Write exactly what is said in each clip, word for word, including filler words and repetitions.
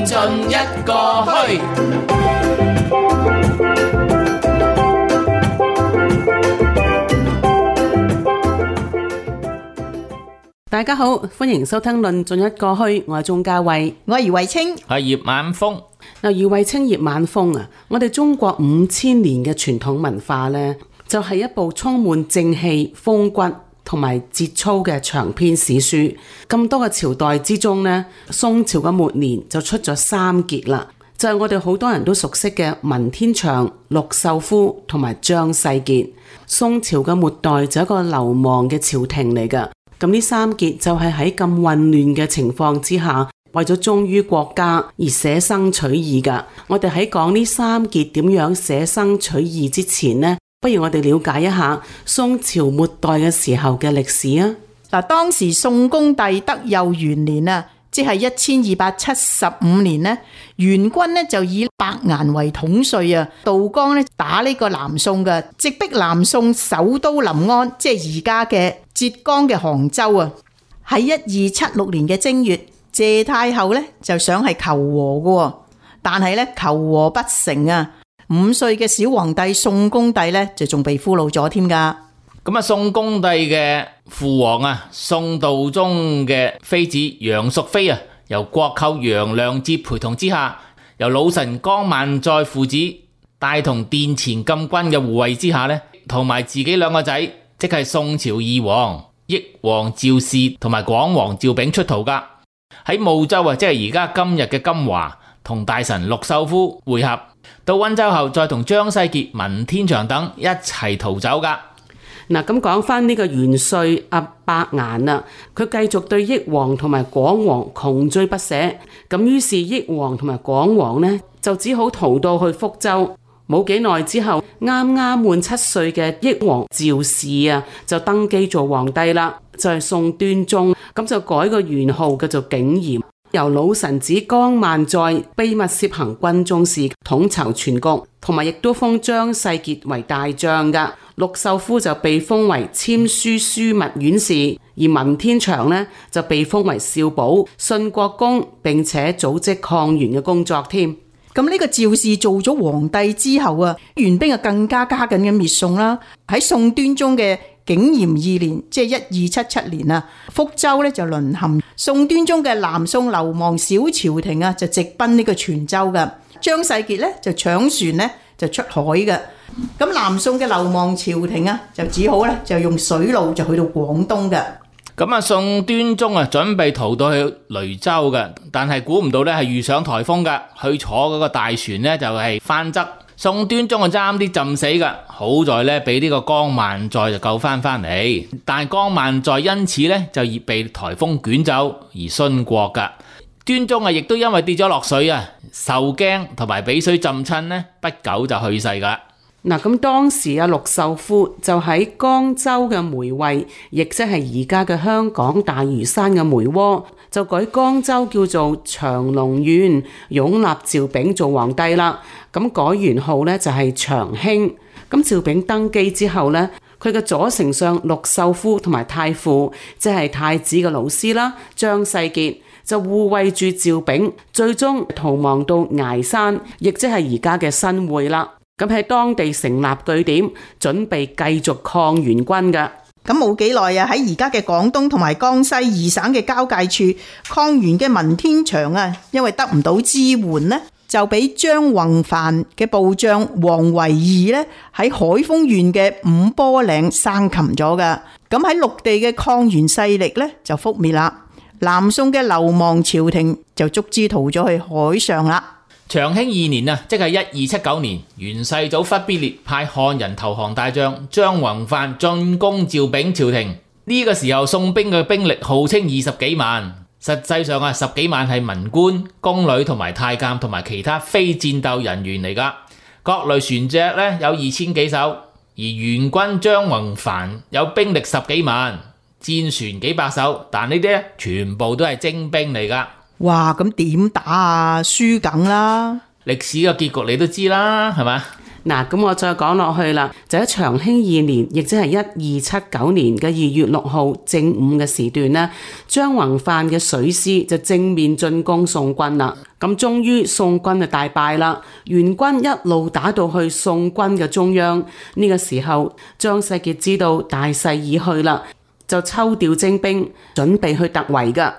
盡一個墟。大家好，歡迎收聽論盡一個墟，我係鍾嘉慧，我係余慧清，係葉晚風。嗱，余慧清、葉晚風啊，我哋中國五千年嘅傳統文化呢，就係一部充滿正氣、風骨同埋節操嘅長篇史書。咁多個朝代之中呢，宋朝嘅末年就出咗三傑啦，就係我哋好多人都熟悉嘅文天祥、陸秀夫同埋張世傑。宋朝嘅末代就係一個流亡嘅朝廷嚟㗎。咁呢三傑就係喺咁混亂嘅情況之下，為咗忠於國家而捨生取義㗎。我哋喺講呢三傑點樣捨生取義之前呢，不如我哋了解一下宋朝末代嘅時候嘅歷史啊。嗱，當時宋恭帝德佑元年啊，即係一千二百七十五年呢，元軍呢就以伯顏為統帥啊，渡江呢打呢個南宋嘅，直逼南宋首都臨安，即係而家嘅浙江嘅杭州啊。喺一二七六年嘅正月，謝太后呢就想係求和嘅，但係呢求和不成啊。五歲嘅小皇帝宋恭帝呢就仲被俘虜咗添噶。咁啊，宋恭帝嘅父王啊，宋道宗嘅妃子楊淑妃啊，由國舅楊亮節陪同之下，由老臣江萬載父子帶同殿前禁軍嘅護衛之下呢，同埋自己兩個仔，即係宋朝二王益王趙氏同埋廣王趙昺出逃噶。喺睦州啊，即係而家今日嘅金華，同大臣陸秀夫會合。到溫州後，再同張世傑、文天祥等一齊逃走噶。嗱，咁講翻呢個元帥阿伯顏啊，佢繼續對益王同埋廣王窮追不捨，咁於是益王同埋廣王呢，就只好逃到去福州。冇幾耐之後，啱啱滿七歲嘅益王趙氏啊，就登基做皇帝啦，就係、是、宋端宗，咁就改個元號叫做景嚴。由老臣子江萬載秘密攝行軍中事，統籌全局，同埋亦都封張世傑為大將噶。陸秀夫就被封為簽書樞密院事，而文天祥呢就被封為少保、信國公，並且組織抗元嘅工作添。咁呢個趙氏做咗皇帝之後啊，元兵啊更加加緊嘅滅宋啦。喺宋端宗嘅景嚴二年，即係一二七七年啊，福州咧就淪陷，宋端宗嘅南宋流亡小朝廷啊，就直奔呢個泉州噶。張世傑咧就搶船咧就出海嘅。咁南宋嘅流亡朝廷啊，就只好咧就用水路就去到廣東嘅。咁啊，宋端宗啊準備逃到去雷州嘅，但係估唔到咧係遇上颱風噶，去坐嗰個大船咧就係翻側。宋端宗啊差啲浸死噶，好在咧俾呢個江萬載就救翻翻嚟，但係江萬載因此咧就已被颱風捲走而殉國噶。端宗啊亦都因為跌咗落水啊，受驚同埋俾水浸親呢，不久就去世噶。嗱，咁當時阿陸秀夫就喺江州嘅梅惠，亦即係而家嘅香港大嶼山嘅梅窩，就改江州叫做長隆縣，擁立趙昺做皇帝啦。咁改元號咧就係長興。咁趙昺登基之後咧，佢嘅左丞相陸秀夫同埋太傅，即係太子嘅老師啦，張世傑就護衛住趙昺，最終逃亡到崖山，亦即係而家嘅新會啦。咁喺當地成立據點，準備繼續抗元軍㗎。咁冇幾耐啊，喺而家嘅廣東同埋江西二省嘅交界處，抗元嘅文天祥啊，因為得唔到支援呢，就俾張宏範嘅部將王維義呢喺海豐縣嘅五波嶺生擒咗噶。咁喺陸地嘅抗元勢力呢就覆滅啦。南宋嘅流亡朝廷就逐之逃咗去海上啦。長興二年啊，即係一二七九年，元世祖忽必烈派漢人投降大將張宏範進攻趙昺朝廷。呢、這個時候宋兵嘅兵力號稱二十幾萬，實際上啊十幾萬係文官、宮女同埋太監同埋其他非戰鬥人員嚟噶。各類船隻咧有二千幾艘，而元軍張宏範有兵力十幾萬，戰船幾百艘，但呢啲咧全部都係精兵嚟噶。哇，咁點打啊？輸梗啦！歷史嘅結局你都知啦，係嘛？嗱，咁我再講落去啦，就喺長興二年，亦即係一二七九年嘅二月六號正午嘅時段呢，張宏範嘅水師就正面進攻宋軍啦。咁終於宋軍就大敗啦，元軍一路打到去宋軍嘅中央。呢、這個時候，張世傑知道大勢已去啦，就抽調精兵，準備去突圍噶。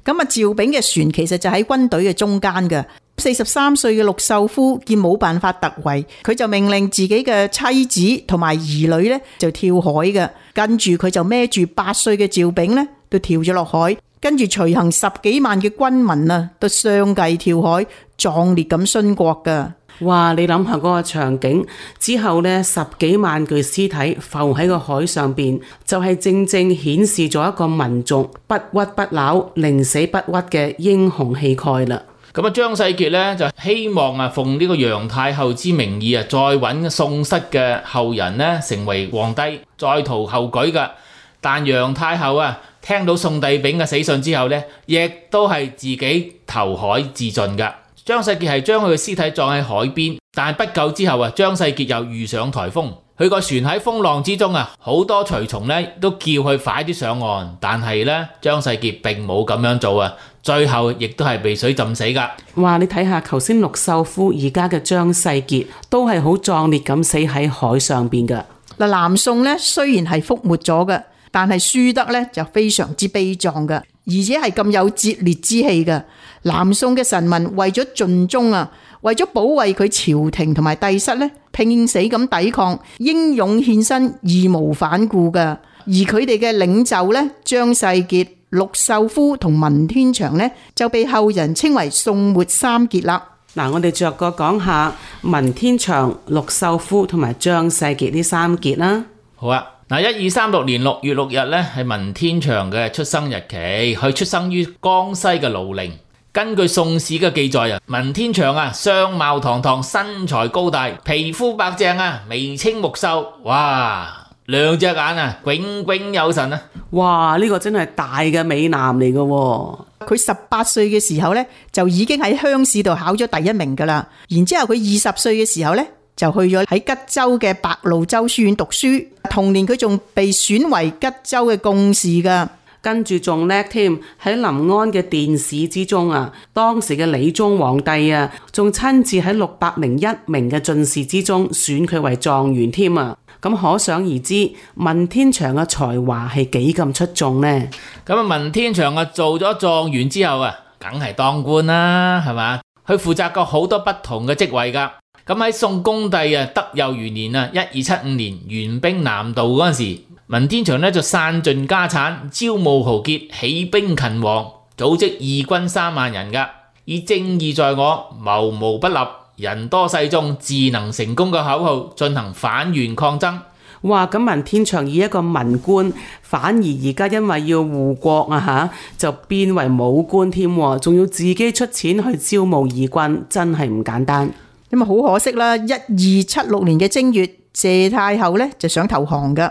咁啊，趙炳嘅船其實就喺軍隊嘅中間嘅。四十三歲嘅陸秀夫見冇辦法突圍，佢就命令自己嘅妻子同埋兒女咧就跳海嘅。跟住佢就孭住八歲嘅趙炳咧，都跳咗落海。跟住隨行十幾萬嘅軍民啊，都相繼跳海，壯烈咁殉國噶。哇！你諗下嗰個場景之後呢，十幾萬具屍體浮喺個海上邊，就係、是、正正顯示咗一個民族不屈不撓、寧死不屈嘅英雄氣概啦。咁啊，張世傑咧就希望啊，奉呢個楊太后之名義啊，再揾宋室嘅後人咧成為皇帝，再圖後舉噶。但楊太后啊，聽到宋帝昺嘅死訊之後咧，亦都係自己投海自盡噶。張世傑係將佢嘅屍體葬喺海邊，但係不久之後啊，張世傑又遇上颱風，佢個船喺風浪之中啊，好多隨從咧都叫佢快啲上岸，但係咧張世傑並冇咁樣做啊，最後亦都係被水浸死噶。哇！你睇下頭先陸秀夫，而家嘅張世傑都係好壯烈咁死喺海上邊噶。嗱，南宋咧雖然係覆沒咗嘅，但係輸得咧就非常之悲壯嘅，而且係咁有節烈之氣嘅。南宋嘅臣民為咗盡忠啊，為咗保衛佢朝廷同埋帝室咧，拼死咁抵抗，英勇獻身，義無反顧噶。而佢哋嘅領袖咧，張世傑、陸秀夫同文天祥咧，就被後人稱為宋末三傑啦。嗱，我哋逐個講下文天祥、陸秀夫同埋張世傑呢三傑啦。好啊，嗱，一二三六年六月六日咧係文天祥嘅出生日期，佢出生於江西嘅盧陵。根據宋史嘅記載啊，文天祥啊，相貌堂堂，身材高大，皮膚白淨啊，眉清目秀，哇，兩隻眼啊，炯炯有神啊！哇，呢、這個真係大嘅美男嚟嘅。佢十八歲嘅時候咧，就已經喺鄉試度考咗第一名噶啦。然之後佢二十歲嘅時候咧，就去咗喺吉州嘅白鷺洲書院讀書。同年佢仲被選為吉州嘅貢士噶。跟住仲叻添，喺臨安嘅殿試之中啊，當時嘅理宗皇帝啊，仲親自喺六百零一名嘅進士之中選佢為狀元添啊！咁可想而知，文天祥嘅才華係幾咁出眾呢？咁啊，文天祥啊做咗狀元之後啊，梗係當官啦，係嘛？佢負責過好多不同嘅職位噶。咁喺宋恭帝啊德佑元年啊，一二七五年援兵南渡嗰陣時，文天祥呢就散盡家產，招募豪傑，起兵勤王，組織義軍三萬人噶，以正義在我，謀無不立，人多勢眾，自能成功嘅口號進行反袁抗爭。哇！咁文天祥以一個文官，反而而家因為要護國啊吓，就變為武官添，仲要自己出錢去招募義軍，真係唔簡單。咁啊，好可惜啦！一二七六年嘅正月，謝太后咧就想投降噶。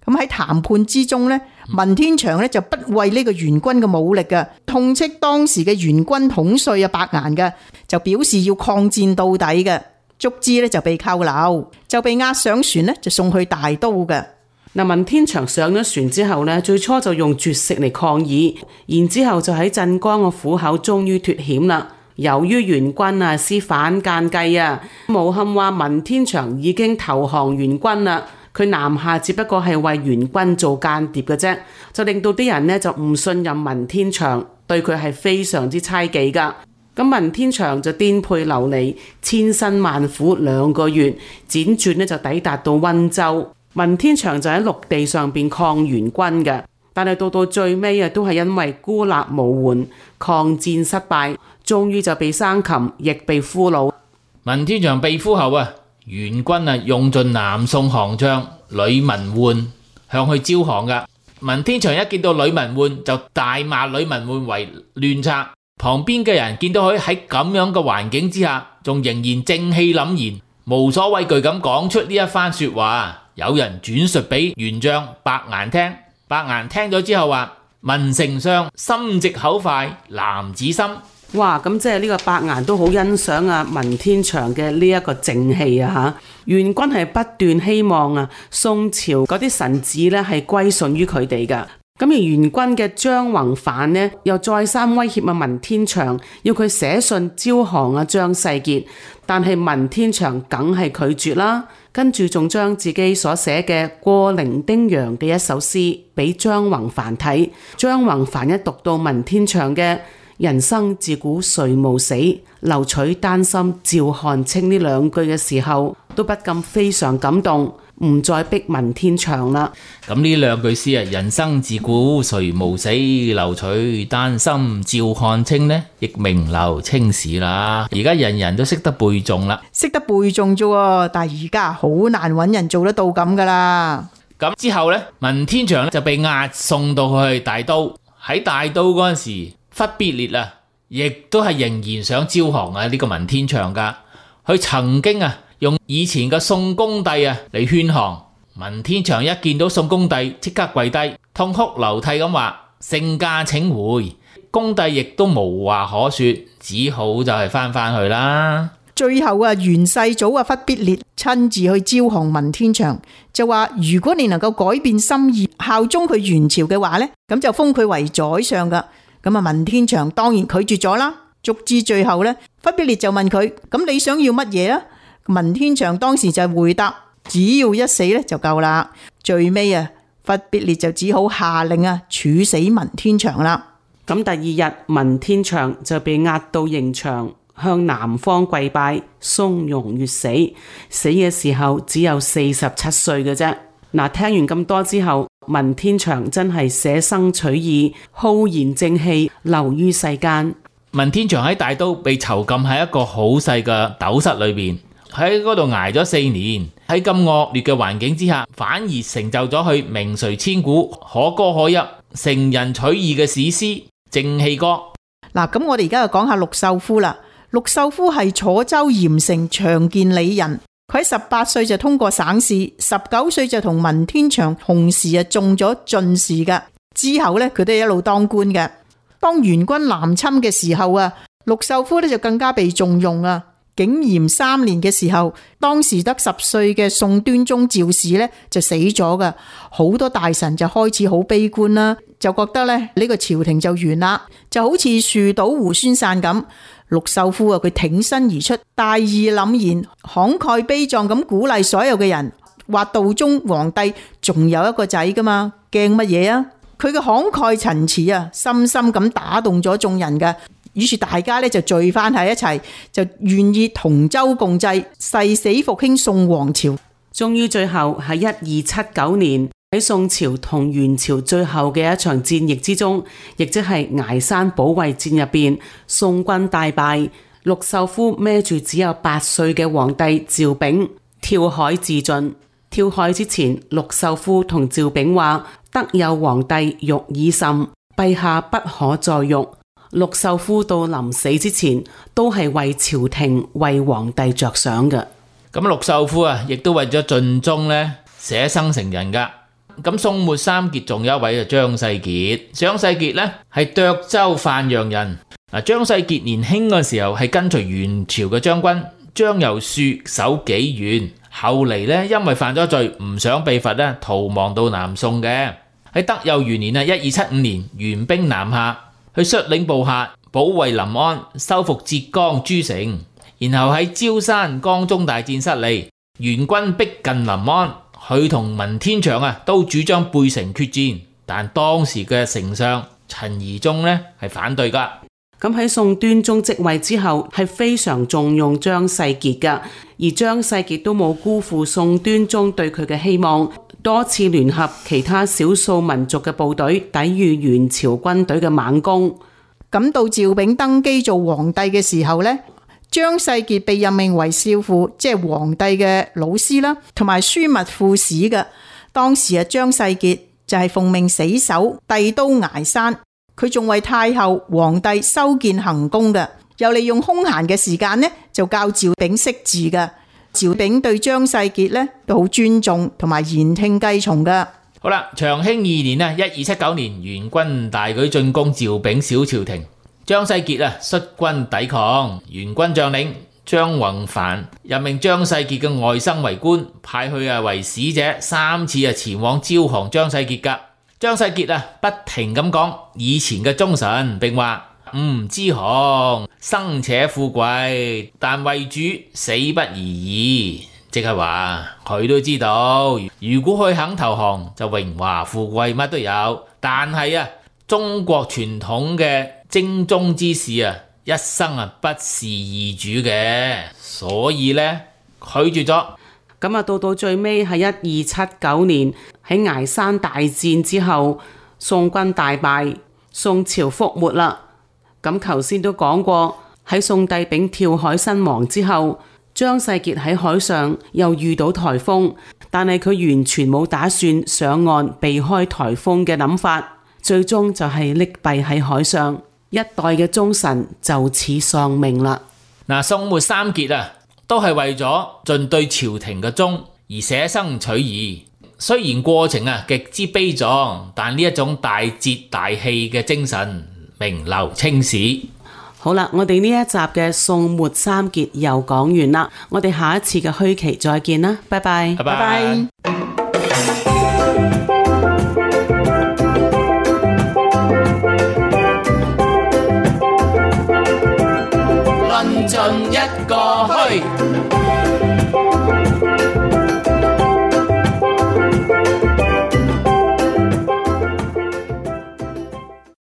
咁喺談判之中咧，文天祥咧就不畏呢個元軍嘅武力噶，痛斥當時嘅元軍統帥啊伯顏噶，就表示要抗戰到底嘅，卒之咧就被扣留，就被押上船咧就送去大都嘅。嗱，文天祥上咗船之後咧，最初就用絕食嚟抗議，然之後就喺鎮江嘅虎口終於脫險啦。由於元軍啊施反間計啊，誣陷話文天祥已經投降元軍啦。佢南下只不過係為元軍做間諜嘅啫，就令到啲人呢就唔信任文天祥，對佢係非常之猜忌噶。咁文天祥就顛沛流離，千辛萬苦兩個月，輾轉呢就抵達到溫州。文天祥就喺陸地上邊抗元軍嘅，但係到到最尾啊，都係因為孤立無援，抗戰失敗，終於就被生擒，亦被俘虜。文天祥被俘後啊，元軍啊用盡南宋行將呂文煥向佢招降噶。文天祥一見到呂文煥就大罵呂文煥為亂賊。旁邊嘅人見到佢喺咁樣嘅環境之下，仲仍然正氣凜然，無所畏懼咁講出呢一番說話。有人轉述俾元將伯顏聽，伯顏聽咗之後話：文丞相心直口快，男子心，哇！咁即係呢個伯顏都好欣賞啊文天祥嘅呢一個正氣啊嚇。元軍係不斷希望啊宋朝嗰啲臣子咧係歸順於佢哋噶。咁而元軍嘅張宏範呢，又再三威脅啊文天祥，要佢寫信招降啊張世傑，但係文天祥梗係拒絕啦。跟住仲將自己所寫嘅《過零丁洋》嘅一首詩俾張宏範睇，張宏範一讀到文天祥嘅人生自古誰無死，留取丹心照汗青呢兩句嘅時候，都不禁非常感動，唔再逼文天祥啦。咁呢兩句詩啊，人生自古誰無死，留取丹心照汗青呢，亦名留青史啦。而家人人都識得背誦啦，識得背誦啫，但係而家好難揾人做得到咁噶啦。咁之後呢，文天祥就被押送到去大都。喺大都嗰陣時，忽必烈啊，亦都係仍然想招降啊呢個文天祥噶。佢曾經啊用以前嘅宋恭帝啊嚟勸降。文天祥一見到宋恭帝，即刻跪低，痛哭流涕咁話：聖駕請回。恭帝亦都無話可說，只好就係翻返去啦。最後啊，元世祖啊忽必烈親自去招降文天祥，就話如果你能夠改變心意，效忠佢元朝嘅話呢，咁就封佢為宰相噶。咁啊，文天祥當然拒絕咗啦。直至最後呢，忽必烈就問佢：咁你想要乜嘢啊？文天祥當時就回答：只要一死咧就夠啦。最尾啊，忽必烈就只好下令啊處死文天祥啦。咁第二日，文天祥就被押到刑場，向南方跪拜，從容越死。死嘅時候只有四十七歲嘅啫。嗱，聽完咁多之後，文天祥真係捨生取義，浩然正氣，流於世間。文天祥喺大都被囚禁喺一個好細嘅斗室裏邊，喺嗰度挨咗四年。喺咁惡劣嘅環境之下，反而成就咗佢名垂千古、可歌可泣、成人取義嘅史詩《正氣歌》。嗱，咁我哋而家就講下陸秀夫啦。陸秀夫係楚州鹽城長建里人，佢喺十八歲就通過省試，十九歲就同文天祥同時啊中咗進士噶。之後呢，佢都一路當官嘅。當元軍南侵嘅時候啊，陸秀夫呢就更加被重用啊。景炎三年嘅時候，當時得十歲嘅宋端宗趙氏呢就死咗噶，好多大臣就開始好悲觀啦，就覺得咧呢個朝廷就完啦，就好似樹倒猢猻散咁。陸秀夫啊，佢挺身而出，大義凜然，慷慨悲壯咁鼓勵所有嘅人，話道宗皇帝仲有一個仔噶嘛，驚乜嘢啊？佢嘅慷慨陳詞啊，深深咁打動咗眾人嘅。於是大家咧就聚翻喺一齊，就願意同舟共濟，誓死復興宋王朝。終於最後喺一二七九年，喺宋朝同元朝最後嘅一場戰役之中，亦即係崖山保衛戰入邊，宋軍大敗，陸秀夫孭住只有八歲嘅皇帝趙昺跳海自盡。跳海之前，陸秀夫同趙昺話：得有皇帝欲已甚，陛下不可再欲。陸秀夫到臨死之前都係為朝廷為皇帝着想嘅。咁陸秀夫啊，亦都為咗盡忠咧捨生成仁噶。咁宋末三傑仲有一位啊張世傑。張世傑咧係涿州范陽人。嗱，張世傑年輕嘅時候係跟隨元朝嘅將軍張由恕守紀縣，後嚟咧因為犯咗罪唔想被罰咧，逃亡到南宋嘅。喺德佑元年啊，一二七五年，元兵南下，去率領部下保衛臨安，收復浙江諸城，然後喺焦山、江中大戰失利，元軍逼近臨安，佢同文天祥啊都主張背城決戰，但當時嘅丞相陳宜中呢係反對噶。咁喺宋端宗即位之後，係非常重用張世傑噶，而張世傑都冇辜負宋端宗對佢嘅希望，多次聯合其他少數民族嘅部隊抵禦元朝軍隊嘅猛攻。咁到趙昺登基做皇帝嘅時候呢，張世傑被任命為少傅，即係皇帝嘅老師啦，同埋樞密副使嘅。當時啊，張世傑就係奉命死守帝都崖山，佢仲為太后、皇帝修建行宮嘅，又利用空閒嘅時間呢，就教趙昺識字嘅。趙昺對張世傑呢都好尊重，同埋言聽計從噶。好啦，長興二年啊，一二七九年，元軍大舉進攻趙昺小朝廷，張世傑啊率軍抵抗，元軍將領張宏範任命張世傑嘅外甥為官，派去啊為使者，三次啊前往招降張世傑噶。張世傑啊不停咁講以前嘅忠臣，並話唔知降生且富貴，但為主死不宜移。即係話佢都知道，如果佢肯投降，就榮華富貴乜都有。但係啊，中國傳統嘅精忠之士啊，一生啊不是易主嘅，所以呢，拒絕咗。咁啊，到到最尾係一二七九年喺崖山大戰之後，宋軍大敗，宋朝覆沒啦。咁頭先都講過，喺宋帝昺跳海身亡之後，張世傑喺海上又遇到颱風，但係佢完全冇打算上岸避開颱風嘅諗法，最終就係溺斃喺海上，一代嘅忠臣就此喪命啦。嗱，宋末三傑啊，都係為咗盡對朝廷嘅忠而捨生取義。雖然過程啊極之悲壯，但呢一種大節大氣嘅精神名留青史。好啦，我哋呢一集嘅宋末三傑又講完啦，我哋下一次嘅墟期再見啦，拜拜，拜拜。論盡一個墟。